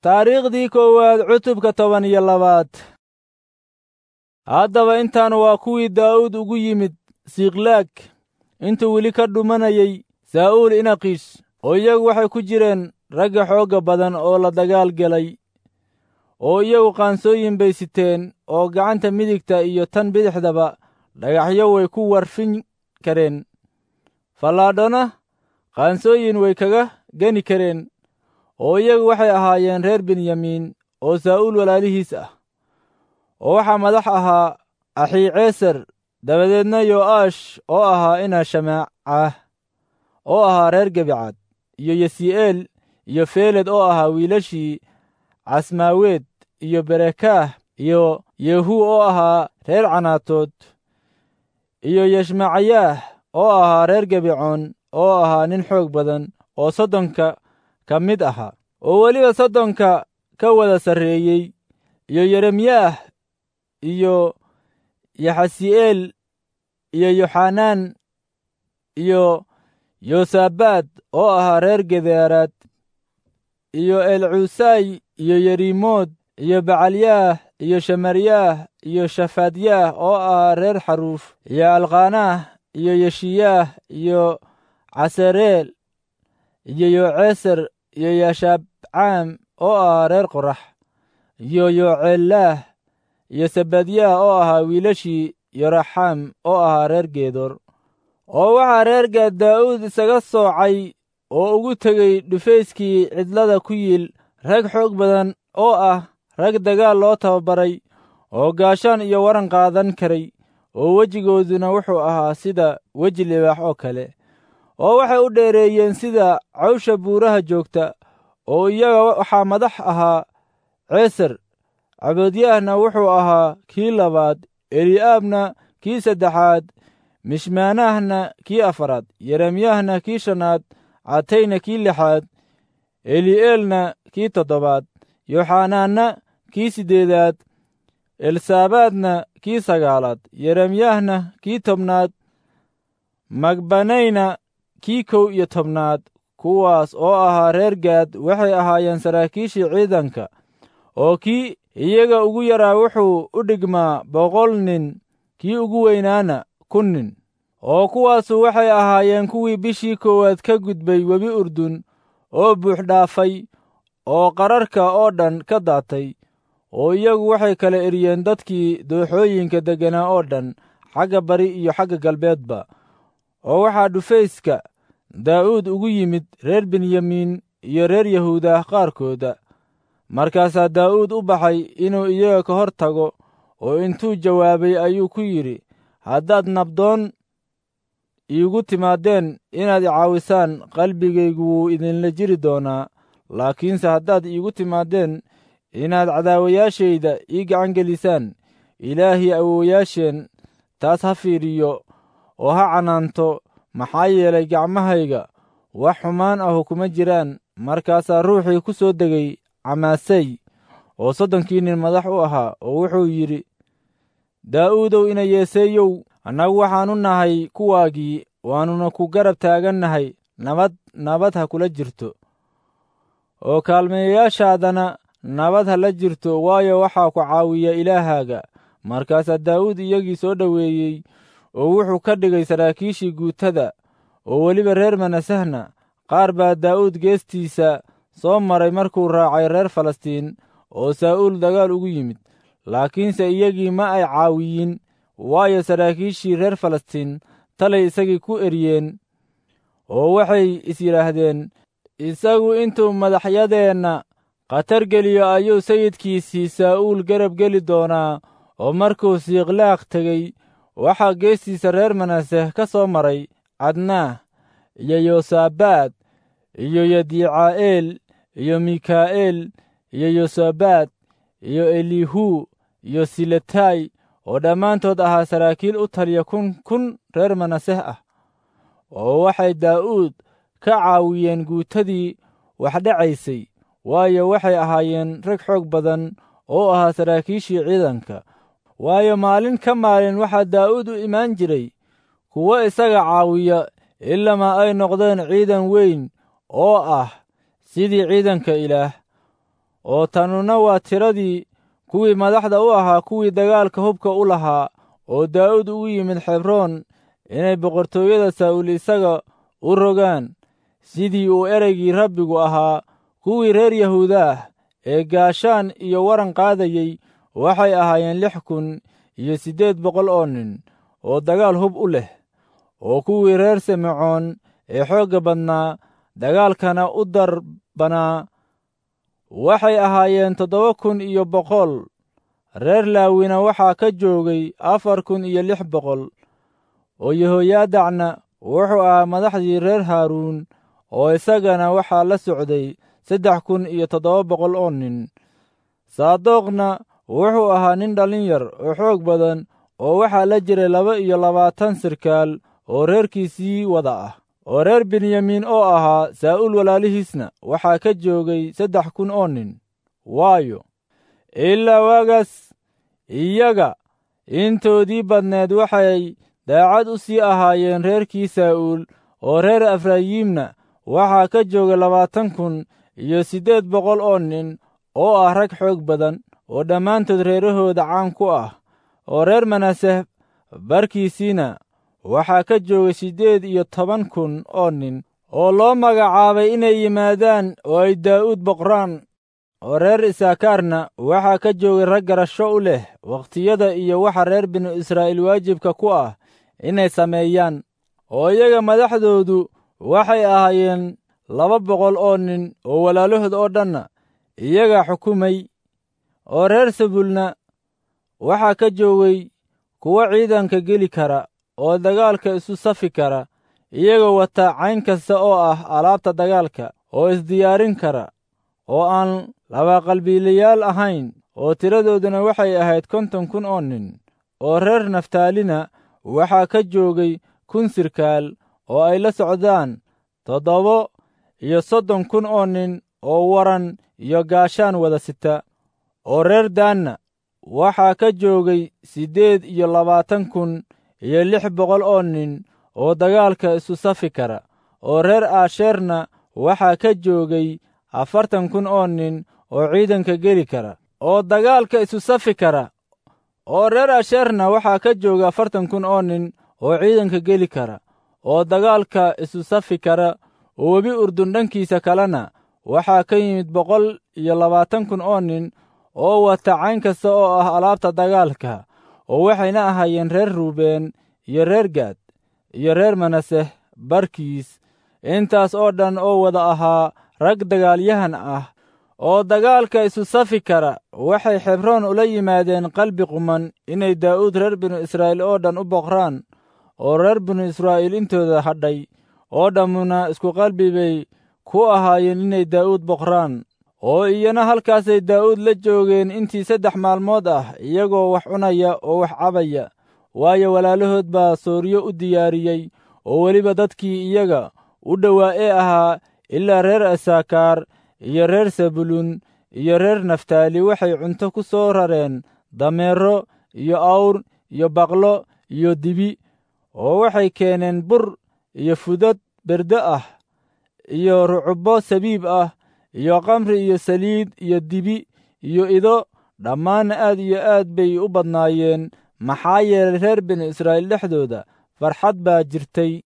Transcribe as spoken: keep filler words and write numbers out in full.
Taariikhdii koowaad cutubka toban iyo labaad. Haddaba intaan waa kuwii Daa'uud ugu yimid Siklaag intuu weli ka dhumanayay Saa'uul inaqiish, oo iyagu waxay ku jireen ragga xoogga badan oo la dagaal galay, oo iyagu qaansooyin bay siteen oo gacanta midigta iyo tan bidixdaba dhagaxyo way ku warfin kareen, fallaadhona qaansooyin way kaga geni kareen, oo iyagu waxay ahaayeen reer Benyamiin oo Saa'uul walaalihiis ah. Oo waxaa madax ahaa Axiiceser, dabadeedna Yo'aash oo ahaa ina Shamaacah oo ahaa reer Gebicad, iyo Yesii'eel iyo Feeled oo ahaa wiilashii Casmaaweed, iyo Berekaah iyo Yehu oo ahaa reer Canaatood, iyo Yeshmacayaah oo ahaa reer Gebicoon oo ahaa nin xoog badan oo soddonka ka mid ahaa, oo weliba soddonka ka wada sarreeyey, iyo Yeremyaah iyo Yaxasi'eel iyo Yoxanaan iyo Yosabaad oo ahaa reer Gedeeraad, iyo Elcuusay iyo Yerimood iyo Bacalyaah iyo Shemaryaah iyo Shafadyaah oo ahaa reer Xaruuf, iyo Alqaanaah iyo Yeshiyaah iyo Casareel iyo Yoceser iyo Yashabcaam oo ahaa reer Qorax, iyo Yoceelaah iyo Sebadyaah oo ahaa wiilashii Yoraxaam oo ahaa reer Geedor. Oo waxaa reer Gaad Daa'uud isaga soocay oo ugu tegey dhufayskii cidlada ku yiil rag xoog badan oo ah rag dagaal loo tababaray oo gaashaan iyo waran qaadan karay, oo wejigooduna wuxuu ahaa sida weji libaax oo kale, oo waxay u dheereeyeen sida cawsha buuraha joogta. Oo iyaga waxaa madax ahaa Ceeser, Caboodyaahna wuxuu ahaa kii labaad, Eli'aabna kii saddexaad, Mishmaanahna kii afaraad, Yeremyaahna kii shanaad, Catayna kii lixaad, Eli'eelna kii toddobaad, Yoxanaanna kii siddeedaad, Elsaabaadna kii sagaalaad, Yeremyaahna kii tobnaad, Magbanayna kii kow iyo tobnaad. Kuwaas oo ahaa reer Gaad waxay ahaayeen saraakiishii ciidanka, oo kii iyaga ugu yaraa wuxuu u dhigmaa boqol nin, kii ugu weynaana kun nin. Oo kuwaasu waxay ahaayeen kuwii bishii koowaad ka gudbay webi Urdun oo buux dhaafay oo qararka oo dhan ka daatay, oo iyagu waxay kala eriyeen dadkii dooxooyinka degganaa oo dhan, xagga bari iyo xagga galbeedba. Oo waxaa dhufayska Daa'uud ugu yimid reer Benyamiin iyo reer Yahuudah qaarkooda. Markaasaa Daa'uud u baxay inuu iyaga ka hor tago, oo intuu jawaabay ayuu ku yidhi, haddaad nabdoon iigu timaadeen inaad i caawisaan, qalbigaygu wuu idinla jiri doonaa. Laakiinse haddaad iigu timaadeen inaad cadaawayaashayda ii gacan gelisaan, Ilaahii awowayaasheen taas ha fiiriyo oo ha canaanto, maxaa yeelay gacmahayga wax xumaan ahu kuma jiraan. Markaasaa ruuxii ku soo degay Camaasay oo soddonkii nin madax u ahaa, oo wuxuu yidhi, Daa'uudow ina Yeeseeyow, annagu waxaannu nahay kuwaagii, waannuna ku garab taagannahay. Nabad nabad ha kula jirto, oo kaalmeeyayaashaadana nabad ha la jirto, waayo waxaa ku caawiya Ilaahaaga. Markaasaa Daa'uud iyagii soo dhoweeyey oo wuxuu ka dhigay saraakiishii guutada. Oo weliba reer Manasehna qaar baa Daa'uud geestiisa soo maray markuu raacay reer Falastiin oo Saa'uul dagaal ugu yimid. Laakiinse iyagii ma ay caawiyin, waayo saraakiishii reer Falastiin talay isagii ku eriyeen, oo waxay is yidhaahdeen, isagu intuu madaxyadeenna khatar geliyo ayuu sayidkiisii Saa'uul garab geli doonaa. Oo markuu Siiqlaaq tegey, waxaa geestiisa reer Manaseh ka soo maray Cadnaah iyo Yosaabaad iyo Yadiicaa'eel iyo Mikaa'eel iyo Yosabaad iyo Elihu iyo Siletay, oo dhammaantood ahaa saraakiil u taliya kun kun reer Manaseh ah. Oo waxay Daa'uud ka caawiyeen guutadii wax dhacaysay, waayo waxay ahaayeen rag xoog badan oo ahaa saraakiishii ciidanka. Waayo maalin ka maalin waxaa Daa'uud u imaan jiray kuwo isaga caawiya, ilamaa ay noqdeen ciidan weyn oo ah sidii ciidanka Ilaah. Oo tanuna waa tiradii kuwii madaxda u ahaa kuwii dagaalka hubka u lahaa oo Daa'uud ugu yimid Xebroon inay boqortooyada Saa'uul isaga u rogaan, sidii uu ereygii Rabbigu ahaa. Kuwii reer Yahuudaah ee gaashaan iyo waran qaadayey waxay ahaayeen lix kun iyo siddeed boqol oo nin oo dagaal hub u leh. Oo kuwii reer Simecoon ee xoogga badnaa dagaalkana u darbanaa waxay ahaayeen toddoba kun iyo boqol. Reer Laawina waxaa ka joogay afar kun iyo lix boqol. Oo Yehoyaadacna wuxuu ahaa madaxdii reer Haaruun, oo isagana waxaa la socday saddex kun iyo toddoba boqol oo nin. Saadoqna wuxuu ahaa nin dhallin yar oo xoog badan, oo waxaa la jiray laba iyo labaatan sirkaal oo reerkiisii wada ah. Oo reer Benyamiin oo ahaa Saa'uul walaalihiisna waxaa ka joogay saddex kun oo nin. Waayo, ilaa waagaas iyaga intoodii badneed waxay daacad u sii ahaayeen reerkii Saa'uul. Oo reer Efrayiimna waxaa ka joogay labaatan kun iyo siddeed boqol oo nin oo ah rag xoog badan oo dhammaantood reerahooda caan ku ah. Oo reer Manaseh barkiisiina waxaa ka joogay siddeed iyo toban kun oo nin oo loo magacaabay inay yimaadaan oo ay Daa'uud boqraan. Oo reer Isaakaarna waxaa ka joogay rag garasho u leh wakhtiyada iyo waxa reer binu Israa'iil waajibka ku ah inay sameeyaan. Oo iyaga madaxdoodu waxay ahaayeen laba boqol oo nin, oo walaalahood oo dhanna iyagaa xukumay. Oo reer Sebulna waxaa ka joogay kuwo ciidanka geli kara oo dagaalka isu safi kara, iyagoo wata cayn kasta oo ah alaabta dagaalka, oo isdiyaarin kara, oo aan labaqalbiilayaal ahayn, oo tiradooduna waxay ahayd konton kun oo nin. Oo reer Naftaalina waxaa ka joogay kun sirkaal oo ay la socdaan toddoba iyo soddon kun oo nin oo waran iyo gaashaan wada sita. Oo reer Daanna waxaa ka joogay siddeed iyo labaatan kun iyo lix boqol oo nin oo dagaalka isu safi kara. Oo reer Aasheerna waxaa ka joogay afartan kun oo nin oo ciidanka geli kara oo dagaalka isu safi kara. Oo reer Asheerna waxaa ka jooga afartan kun oo nin oo ciidanka geli kara oo dagaalka isu safi kara. Oo webi Urdun dhankiisa kalena waxaa ka yimid boqol iyo labaatan kun oo nin oo wata cayn kasta oo ah alaabta dagaalka, oo waxayna ahaayeen reer Ruubeen iyo reer Gaad iyo reer Manaseh barkiis, intaas oo dhan oo wada ahaa rag dagaalyahan ah oo dagaalka isu safi kara. Waxay Xebroon ula yimaadeen qalbi quman inay Daa'uud reer binu Israa'iil oo dhan u boqraan. Oo reer binu Israa'iil intooda hadhay oo dhammuna isku qalbi bay ku ahaayeen inay Daa'uud boqraan. Oo iyana halkaasay Daa'uud la joogeen intii saddex maalmood ah, iyagoo wax cunaya oo wax cabaya, waayo walaalahood baa sooryo u diyaariyey. Oo weliba dadkii iyaga u dhowaa ee ahaa ilaa reer Isaakaar iyo reer Sebulun iyo reer Naftaali waxay cunto ku soo rareen dameero iyo awr iyo baqlo iyo dibi, oo waxay keeneen bur iyo fudad berde ah iyo rucubbo sabiib ah iyo khamri iyo saliid iyo dibi iyo ido. Dhammaanna aad iyo aad bay u badnaayeen, maxaa yeelay reer binu Israa'iil dhexdooda farxad baa jirtay.